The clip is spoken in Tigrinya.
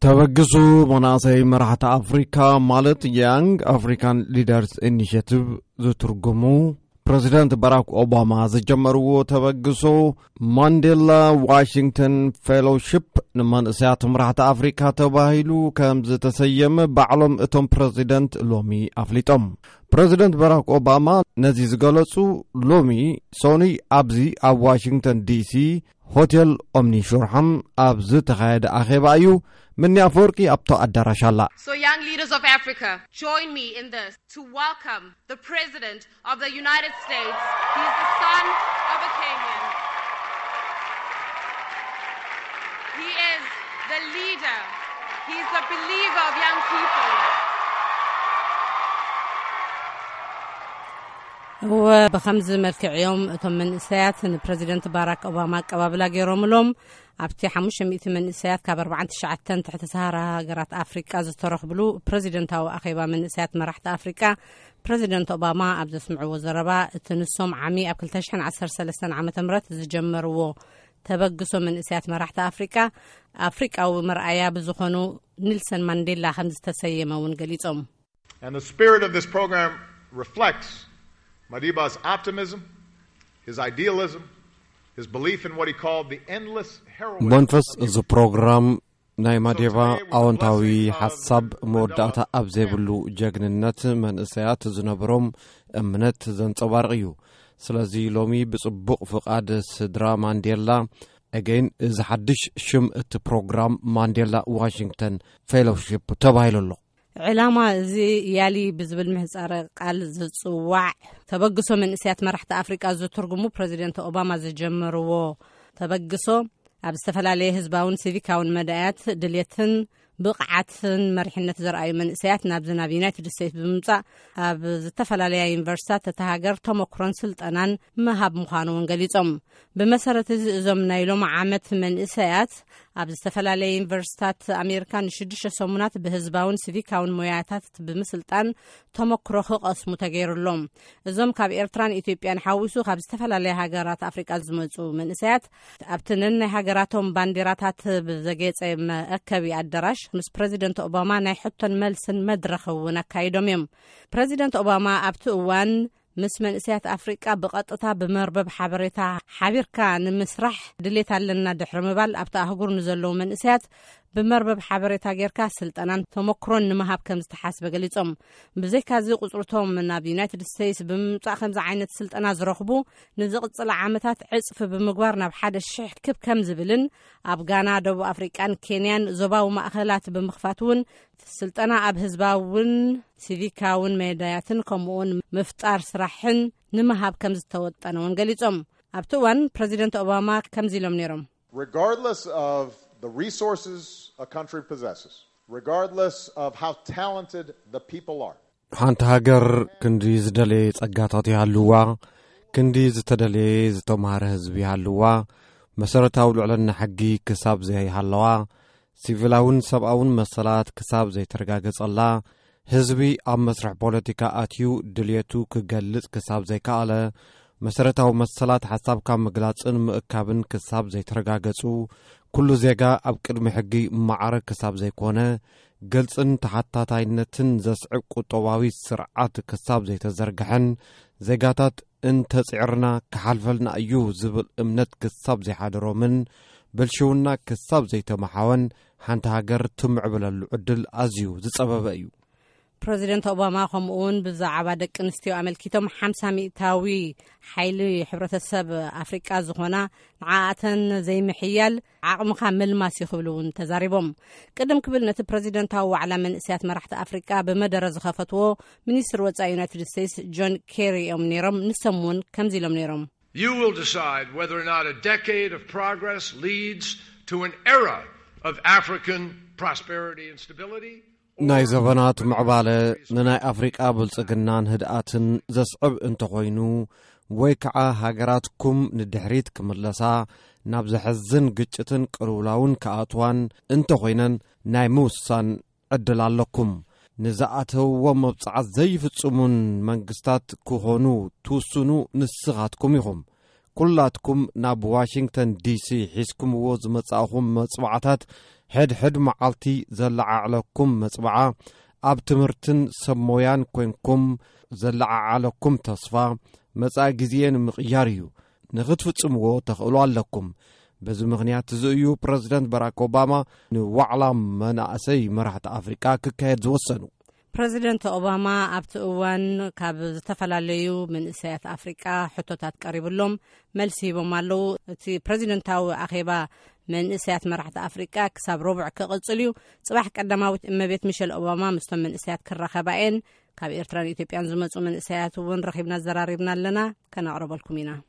ተበግሱ መናእሰይ መራሕቲ ኣፍሪካ ማለት ያንግ ኣፍሪካን ሊደርስ ኢኒሽቲቭ ዝትርጉሙ ፕረዚደንት ባራክ ኦባማ ዝጀመርዎ ተበግሶ ማንዴላ ዋሽንግተን ፌሎሺፕ ንመንእሰያት መራሕቲ ኣፍሪካ ተባሂሉ ከም ዝተሰየመ ባዕሎም እቶም ፕረዚደንት ሎሚ ኣፍሊጦም። ፕረዚደንት ባራክ ኦባማ ነዚ ዝገለጹ ሎሚ ሶኑይ ኣብዚ ኣብ ዋሽንግተን ዲሲ ሆቴል ኦምኒ ሹርሓም ኣብ ዝተኻየደ ኣኼባ እዩ። ምኒ ኣፈወርቂ ኣብቶ ኣዳራሽ ኣላ። So, young leaders of Africa, join me in this to welcome the President of the United States. He's the son of a Kenyan. He is the leader. He's the believer of young people. እወ፣ ብኸምዚ መልክዕ እዮም እቶም መንእሰያት ንፕረዚደንት ባራክ ኦባማ ኣቀባብላ ገይሮምሎም። ኣብቲ ሓሙሽተ ሚእቲ መንእሰያት ካብ ኣርባዓን ትሽዓተን ትሕቲ ሰሃራ ሃገራት ኣፍሪቃ ዝተረኽብሉ ፕረዚደንታዊ ኣኼባ መንእሰያት መራሕቲ ኣፍሪቃ፣ ፕረዚደንት ኦባማ ኣብ ዘስምዕዎ ዘረባ፣ እቲ ንሶም ዓሚ ኣብ ክልተ ሽሕን ዓሰርተ ሰለስተን ዓመተ ምህረት ዝጀመርዎ ተበግሶ መንእሰያት መራሕቲ ኣፍሪቃ፣ ኣፍሪቃዊ መርኣያ ብዝኾኑ ኒልሰን ማንዴላ ከም ዝተሰየመ እውን ገሊጾም። And the spirit of this program reflects Madiba's optimism, his idealism, his belief in what he called the endless heroism መንፈስ of እዚ ፕሮግራም ናይ ማዴባ ኣወንታዊ ሓሳብ መወዳእታ ኣብ ዘይብሉ ጀግንነት መንእሰያት ዝነበሮም እምነት ዘንጸባርቕ እዩ። ስለዚ ሎሚ ብጽቡቕ ፍቓድ ስድራ ማንዴላ፣ ኣገይን እዚ ሓድሽ ሽም እቲ ፕሮግራም ማንዴላ ዋሽንግተን ፌሎሺፕ ተባሂሉ ኣሎ። ዕላማ እዚ ያሊ ብዝብል ምህጻረ ቃል ዝጽዋዕ ተበግሶ መንእሰያት መራሕቲ ኣፍሪቃ ዝትርጉሙ ፕረዚደንት ኦባማ ዝጀመርዎ ተበግሶ፣ ኣብ ዝተፈላለየ ህዝባውን ሲቪካውን መዳያት ድልየትን ብቕዓትን መሪሕነት ዘርኣዩ መንእሰያት ናብዚ ናብ ዩናይትድ ስቴትስ ብምምጻእ፣ ኣብ ዝተፈላለያ ዩኒቨርሲታት እታ ሃገር ተመክሮን ስልጠናን ምሃብ ምዃኑ እውን ገሊጾም። ብመሰረት እዚ፣ እዞም ናይ ሎም ዓመት መንእሰያት ኣብ ዝተፈላለየ ዩኒቨርሲታት ኣሜሪካ ንሽዱሽተ ሰሙናት ብህዝባውን ሲቪካውን ሞያታት ብምስልጣን ተመክሮ ክቐስሙ ተገይሩሎም። እዞም ካብ ኤርትራን ኢትዮጵያን ሓዊሱ ካብ ዝተፈላለያ ሃገራት ኣፍሪቃ ዝመጹ መንእሰያት፣ ኣብቲ ነናይ ሃገራቶም ባንዲራታት ብዘጌጸ መአከቢ ኣዳራሽ ምስ ፕረዚደንት ኦባማ ናይ ሕቶን መልስን መድረኽ እውን ኣካይዶም እዮም። ፕረዚደንት ኦባማ ኣብቲ እዋን ምስ መንእሰያት ኣፍሪቃ ብቐጥታ ብመርበብ ሓበሬታ ሓቢርካ ንምስራሕ ድሌት ኣለና ድሕሪ ምባል፣ ኣብቲ ኣህጉር ንዘለዉ መንእሰያት ብመርበብ ሓበሬታ ጌርካ ስልጠናን ተመክሮን ንምሃብ ከም ዝተሓስበ ገሊጾም። ብዘይካዚ፣ ቁጽርቶም ናብ ዩናይትድ ስቴትስ ብምምጻእ ከምዚ ዓይነት ስልጠና ዝረኽቡ ንዝቕጽል ዓመታት ዕጽፊ ብምግባር ናብ ሓደ ሽሕ ክብ ከም ዝብልን፣ ኣብ ጋና፣ ደቡብ ኣፍሪቃን ኬንያን ዞባዊ ማእኸላት ብምኽፋት እውን ስልጠና ኣብ ህዝባውን ሲቪካውን መዳያትን ከምኡውን ምፍጣር ስራሕን ንምሃብ ከም ዝተወጠነ እውን ገሊጾም። ኣብቲ እዋን ፕረዚደንት ኦባማ ከምዚ ኢሎም ነይሮም። Regardless of the resources a country possesses, regardless of how talented the people are, ሓንቲ ሃገር ክንዲ ዝደለየ ጸጋታት ይሃልዋ፣ ክንዲ ዝተደለየ ዝተማህረ ህዝቢ ይሃልዋ፣ መሰረታዊ ልዕልና ሕጊ ክሳብ ዘይሃለዋ፣ ሲቪላውን ሰብኣውን መሰላት ክሳብ ዘይተረጋገጸላ፣ ህዝቢ ኣብ መስርሕ ፖለቲካ ኣትዩ ድልየቱ ክገልጽ ክሳብ ዘይከኣለ፣ መሰረታዊ መሰላት ሓሳብካ ምግላጽን ምእካብን ክሳብ ዘይተረጋገጹ፣ ኩሉ ዜጋ ኣብ ቅድሚ ሕጊ ማዕረ ክሳብ ዘይኮነ፣ ግልጽን ተሓታታይነትን ዘስዕብ ቁጠባዊ ስርዓት ክሳብ ዘይተዘርግሐን፣ ዜጋታት እንተጺዕርና ክሓልፈልና እዩ ዝብል እምነት ክሳብ ዘይሓደሮምን፣ ብልሽውና ክሳብ ዘይተመሓወን፣ ሓንቲ ሃገር ትምዕብለሉ ዕድል ኣዝዩ ዝጸበበ እዩ። ፕረዚደንት ኦባማ ከምኡ እውን ብዛዕባ ደቂ ኣንስትዮ ኣመልኪቶም፣ ሓምሳ ሚእታዊ ሓይሊ ሕብረተሰብ ኣፍሪቃ ዝኾና ንዓኣተን ዘይምሕያል ዓቕምኻ ምልማስ እዩ ክብሉ እውን ተዛሪቦም። ቅድም ክብል ነቲ ፕረዚደንታዊ ዋዕላ መንእሰያት መራሕቲ ኣፍሪቃ ብመደረ ዝኸፈትዎ ሚኒስትር ወጻኢ ዩናይትድ ስቴትስ ጆን ኬሪ እዮም ነይሮም። ንሶም እውን ከምዚ ኢሎም ነይሮም። You will decide whether or not a decade of progress leads to an era of African prosperity and stability. ናይ ዘበናት ምዕባለ ንናይ ኣፍሪቃ ብልጽግናን ህድኣትን ዘስዕብ እንተኾይኑ፣ ወይ ከዓ ሃገራትኩም ንድሕሪት ክምለሳ፣ ናብ ዘሕዝን ግጭትን ቅልውላውን ክኣትዋን እንተኾይነን፣ ናይ ምውሳን ዕድል ኣለኩም። ንዝኣተውዎ መብጽዓት ዘይፍጽሙን መንግስታት ክኾኑ ትውስኑ ንስኻትኩም ኢኹም። ኩላትኩም ናብ ዋሽንግተን ዲሲ ሒዝኩምዎ ዝመጻእኹም መጽዋዕታት ሕድሕድ መዓልቲ ዘለዓዕለኩም መጽብዓ፣ ኣብ ትምህርትን ሰብ ሞያን ኮንኩም ዘለዓዓለኩም ተስፋ፣ መጻኢ ግዜ ንምቕያር እዩ። ንኽትፍጽምዎ ተኽእሎ ኣለኩም። በዚ ምኽንያት እዚ እዩ ፕረዚደንት ባራክ ኦባማ ንዋዕላ መናእሰይ መራሕቲ ኣፍሪቃ ክካየድ ዝወሰኑ። ፕረዚደንት ኦባማ ኣብቲ እዋን ካብ ዝተፈላለዩ መንእሰያት ኣፍሪቃ ሕቶታት ቀሪብሎም መልሲ ሂቦም ኣለዉ። እቲ ፕረዚደንታዊ ኣኼባ መንእሰያት መራሕቲ ኣፍሪቃ ክሳብ ረቡዕ ክቕጽል እዩ። ጽባሕ ቀዳማዊት እመቤት ሚሸል ኦባማ ምስቶም መንእሰያት ክራኸባ እየን። ካብ ኤርትራን ኢትዮጵያን ዝመጹ መንእሰያት እውን ረኺብና ዘራሪብና ኣለና፣ ከነቕርበልኩም ኢና።